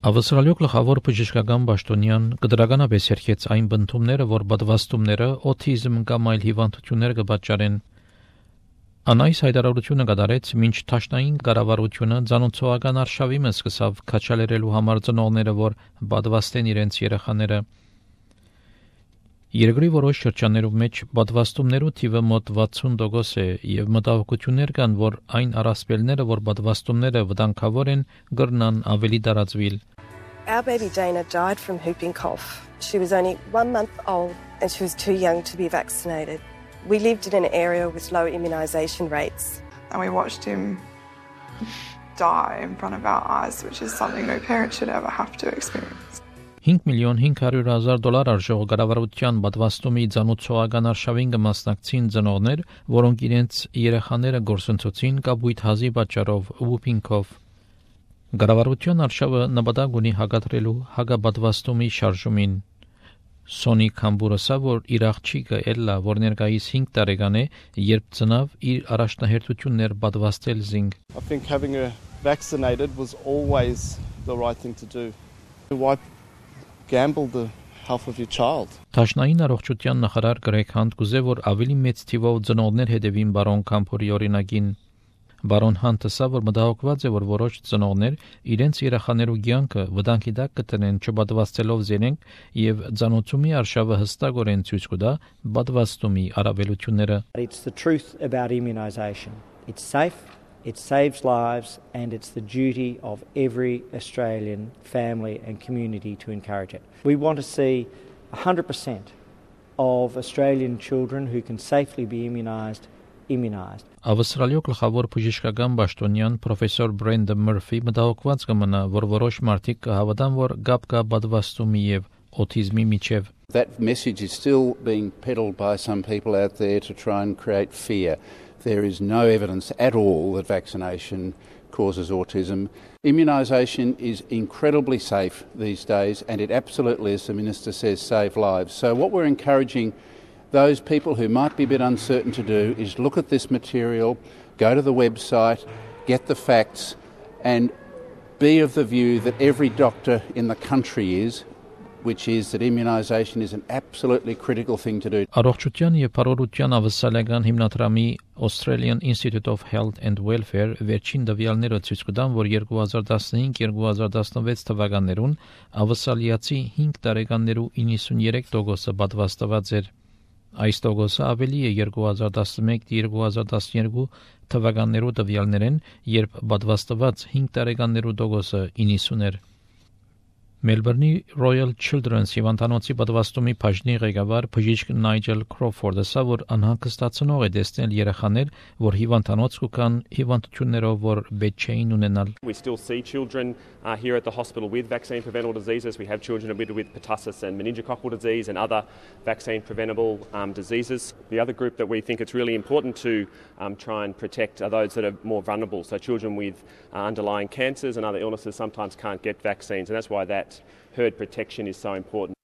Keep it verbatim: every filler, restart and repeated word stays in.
Ավստրալիո գլխավոր բժշկական պաշտոնյան կդրականապես երկեց այն բնդումները, որ պատվաստումները օթիզմ կամ այլ հիվանդություններ կպատճառեն։ Անայս հայտարարությունը կատարեց, մինչ Թաշնային կառավարությունը ցանոթական արշավի մեջ սկսավ քաչալերելու համար ծնողները, որ պատվաստեն իրենց երեխաները։ Երկրի որոշ շրջաններում մեջ պատվաստումներու թիվը մոտ վաթսուն տոկոս է եւ մտահոգություններ կան, որ այն առասպելները, որ պատվաստումները վտանգավոր են, կրնան ավելի տարածվել։ Our baby Dana died from whooping cough. She was only one month old and she was too young to be vaccinated. We lived in an area with low immunisation rates. And we watched him die in front of our eyes, which is something no parent should ever have to experience. five միլիոն five hundred thousand դոլար արժող կառավարության պատվաստումի ցանոթական արշավին կմասնակցին ծնողներ, որոնք իրենց երեխաները գործընթացին կապույտ հազի պատճառով whooping cough։ Կառավարության արշավը նպատակ ունի հակադրելու հակապատվաստումի շարժումին։ Սոնի Քամբուրոսը, որ իր աղջիկը Էլլա, որ ներկայիս five տարեկան է, երբ ծնավ իր առաջնահերթություններ պատվաստել զինք։ I think having her vaccinated was always the right thing to do. Why gamble the health of your child? Թաշնային առողջության նախարար Գրեգ Հանտ կուզե, որ ավելի մեծ թիվով ծնողներ հետևին բարոն Քամփուրի օրինակին։ Բարոն Հանտը ասա, որ մտահոգված է, որ որոշ ծնողներ իրենց երեխաներու կյանքը վտանգի տակ կտնեն չպատվաստելով զենենք եւ ցանոթումի արշավը հստակորեն ցույց կտա պատվաստումի առավելությունները։ It's the truth about immunisation. It's safe, it saves lives, and it's the duty of every Australian family and community to encourage it. We want to see one hundred percent of Australian children who can safely be immunised immunised. Ավստրալիո գլխավոր բժշկական պաշտոնյան պրոֆեսոր Բրենդը Մըրֆի մտահոգված կմնա, որ որոշ մարդիկ կհավատան, որ գապ կա պատվաստումի եւ օթիզմի միջև։ That message is still being peddled by some people out there to try and create fear. There is no evidence at all that vaccination causes autism. Immunisation is incredibly safe these days, and it absolutely, as the Minister says, saves lives. So what we're encouraging those people who might be a bit uncertain to do is look at this material, go to the website, get the facts, and be of the view that every doctor in the country is, which is that immunisation is an absolutely critical thing to do. Առողջության եւ բարօրության ավսալական հիմնադրամի Australian Institute of Health and Welfare վերջին տվյալները ցույց կտան, որ twenty fifteen twenty sixteen թվականներուն ավսալիացի five տարեկաններու ninety-three տոկոսը պատվաստված էր։ Այս տոկոսը ավելի է twenty eleven twenty twelve թվականներու տվյալներեն, երբ պատվաստված five տարեկաններու տոկոսը ninety էր։ Մելբուրնի Royal Children's հիվանդանոցի պատվաստումի բաժնի ղեկավար բժիշկ Նայջել Քրոֆորդը ասա, որ անհանգստացնող է տեսնել երեխաներ, որ հիվանդանոց կան հիվանդություններով, որ պետք չէին ունենալ։ We still see children uh, here at the hospital with vaccine preventable diseases. We have children admitted with pertussis and meningococcal disease and other vaccine preventable um, diseases. The other group that we think it's really important to um, try and protect are those that are more vulnerable. So children with uh, underlying cancers and other illnesses sometimes can't get vaccines, and that's why that herd protection is so important.